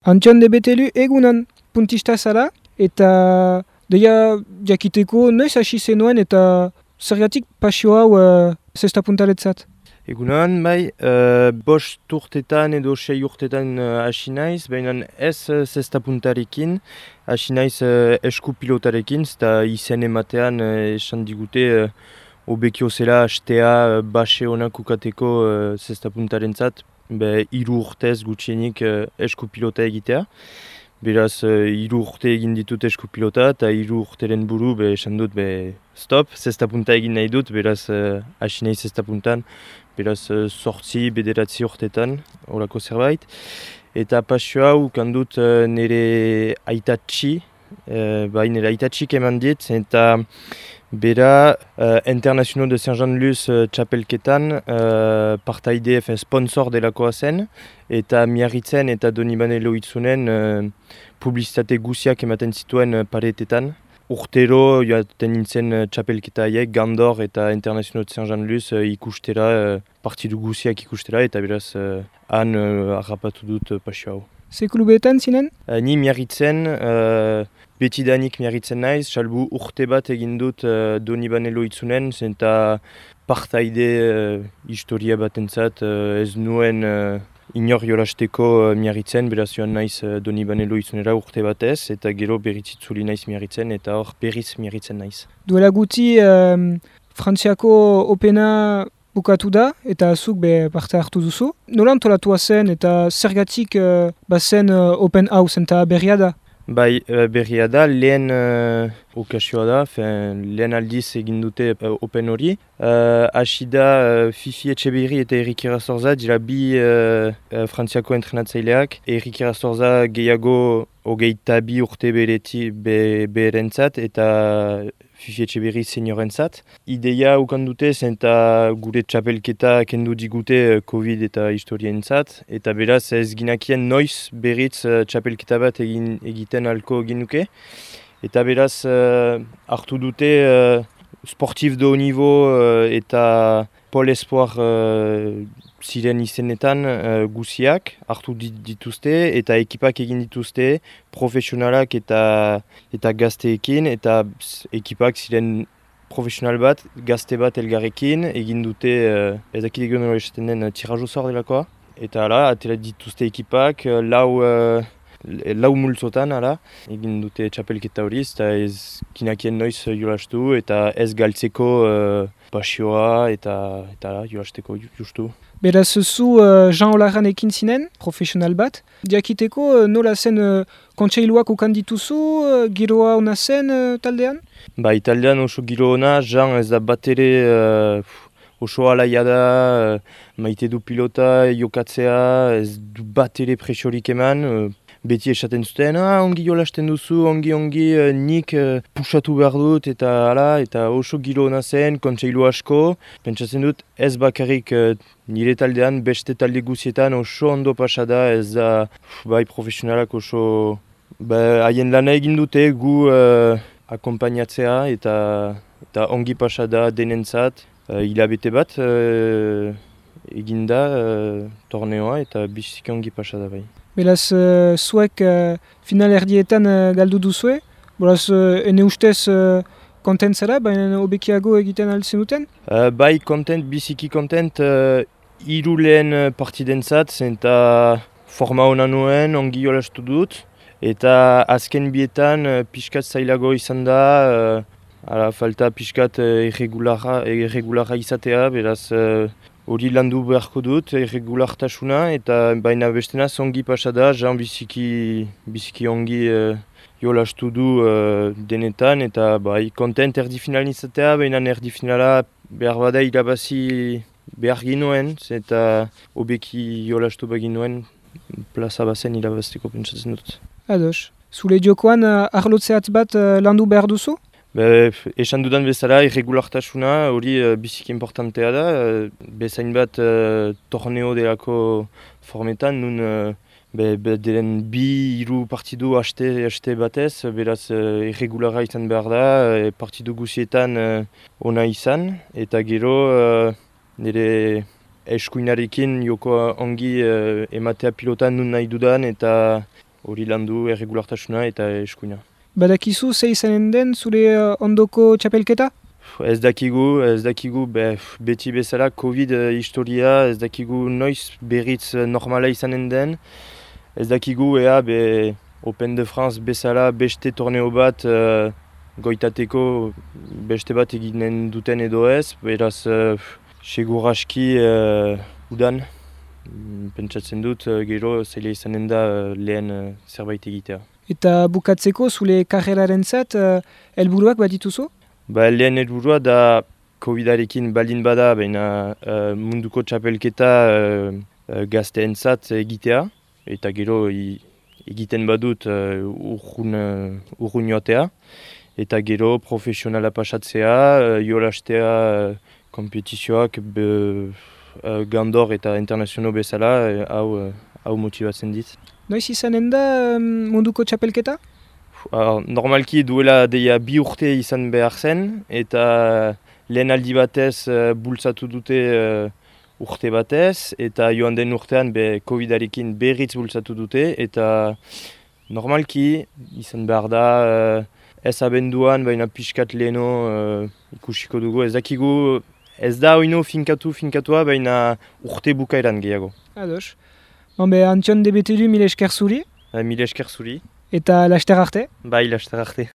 Antxon de Betelu egunan puntista zara, eta deia jakiteko noiz hasi zenuen eta zergatik pasio hau zesta puntaretzat? Egunan, bai, bost urtetan edo 6 urtetan hasi naiz, baina ez zesta puntarekin, hasi naiz esku pilotarekin, eta izen ematean esan digute hobekio zela hastea base honak ukateko zesta puntarentzat, 3 urtez gutxienik esku pilota egitea. Beraz, 3 urte egin ditut esku pilota eta 3 urteren buru esan dut stop, zesta punta egin nahi dut, beraz hasi naiz zesta puntan, beraz 8, 9 urtetan, horako zerbait. Eta pasio hau kandut nire aitatxi, nire aitatxik eman dit, eta bera International de Saint-Jean-de-Luz txapelketan partaide sponsor delakoa zen, eta Miarritzen eta Donibane Loitzunen publizitate guziak ematen zituen paretetan. Urtero joaten nintzen txapelketa haiek, Gandor eta International de Saint-Jean-de-Luz ikustera, partidu guziak ikustera, eta beraz han harrapatu dut pasio hau. Ze klubetan zinen? Ni Miarritzen, betidanik Miarritzen naiz, salbu urte bat egin dut Donibane Loitzunen, zenta partaide historia batentzat ez nuen inor jolasteko Miarritzen, beraz joan naiz Donibane Loitzunera urte batez, eta gero berritzitzuli naiz Miarritzen, eta hor berriz Miarritzen naiz. Duela guti Frantziako Opena bukatu da, eta zuk parte hartu duzu. Nola antolatua zen eta zergatik bazen Open hau zenta berria da? Bai, berria da, lehen okasioa da, lehen aldiz egin dute Open hori. Hasi da Fifi Etxeberri eta Erik Irasorza, dira bi Frantziako entrenatzaileak. Erik Irasorza gehiago 22 urte berentzat eta Fifi Etxeberri seniorentzat. Ideia ukan dute zenta gure txapelketa kendu digute Covid eta historientzat. Eta beraz ez ginakien noiz berriz txapelketa bat egiten alko ginuke. Eta beraz hartu dute sportif de haut niveau eta Pol Espoir ziren izenetan guziak hartu dituzte eta ekipak egin dituzte profesionalak eta gazteekin eta ekipak ziren profesional bat, gazte bat elgarrekin egin dute ezakit egon hori esaten den tirajo zor delakoa. Eta hala, atera dituzte ekipak, lau multzotan egin dute txapelketa hori, eta ez kinakien noiz jolastu eta ez galtzeko pasioa eta jolasteko justu. Beraz zu Jean Olaran ekin zinen, profesional bat. Diakiteko nola zen kontseiluak ukan dituzu, giroa ona zen taldean? Bai, taldean oso giro ona, Jean ez da bat ere oso alaia da, maite du pilota, jokatzea, ez du bat ere presiorik eman. Beti esaten zuten, ongi jolasten duzu, ongi nik pusatu behar dut eta oso giro ona zen, kontseilu asko. Pentsatzen dut ez bakarrik nire taldean, beste talde guzietan oso ondo pasada, ez da bai profesionalak oso haien lana egin dute gu akompainatzea eta ongi pasada denentzat. Hilabete bat eginda torneoa eta biziki ongi pasada bai. Beraz, zuek final erdietan galdu duzue, beraz, ene ustez kontent zara, baina hobekiago egiten altzen duten? Bai, biziki kontent, 3 lehen partidentzat, zenta forma hona nuen, ongi jolastu dut, eta azken bietan pixkat zailago izan da, falta pixkat irregularra izatea, beraz, hori landu beharko dut, irregulartasuna, eta baina bestena ongi pasada, Jean biziki ongi jolastu du denetan, eta kontent erdifinalin izatea, baina erdifinala behar bada irabazi behar ginoen, eta hobeki jolastu baginuen, plaza bazen irabazteko pentsatzen dut. Ados, zure jokoan arlotzeat bat landu behar duzu? Esan dudan bezala, irregulartasuna hori biziki importantea da. Bezain bat torneo delako formetan, nun delen 2-3 partidu haste batez, beraz irregulara izan behar da, partidu guzietan ona izan, eta gero nire eskuinarekin joko ongi ematea pilotan nun nahi dudan, eta hori landu erregulartasuna eta eskuina. Badakizu ze izanen den zure ondoko txapelketa? Ez dakigu beti bezala Covid historia, ez dakigu noiz berriz normala izanen den. Ez dakigu ea Open de France bezala beste torneo bat goitateko beste bat eginen duten edo ez. Beraz, segur aski udan, pentsatzen dut gero zaila izanen da lehen zerbait egitea. Eta bukatzeko zure karreraren zat, helburuak bat dituzu? Lehen helburua da Covidarekin baldin bada, baina munduko txapelketa gazteentzat egitea, eta gero egiten badut urrun joatea, eta gero profesionala pasatzea, jolastea kompetizioak gandor eta internazional bezala, hau motibatzen dit. Noiz izanen da munduko txapelketa? Normalki duela deia 2 urte izan behar zen, eta lehen aldi batez bultzatu dute urte batez, eta joan den urtean Covidarekin berriz bultzatu dute, eta normalki izan behar da ez abenduan, baina pixkat leheno ikusiko dugu. Ez dakigu, ez da oino finkatua, baina urte bukaeran gehiago. Ados. Antion debetelu mila esker zuri. Mila esker zuri. Eta laster arte? Bai, laster arte.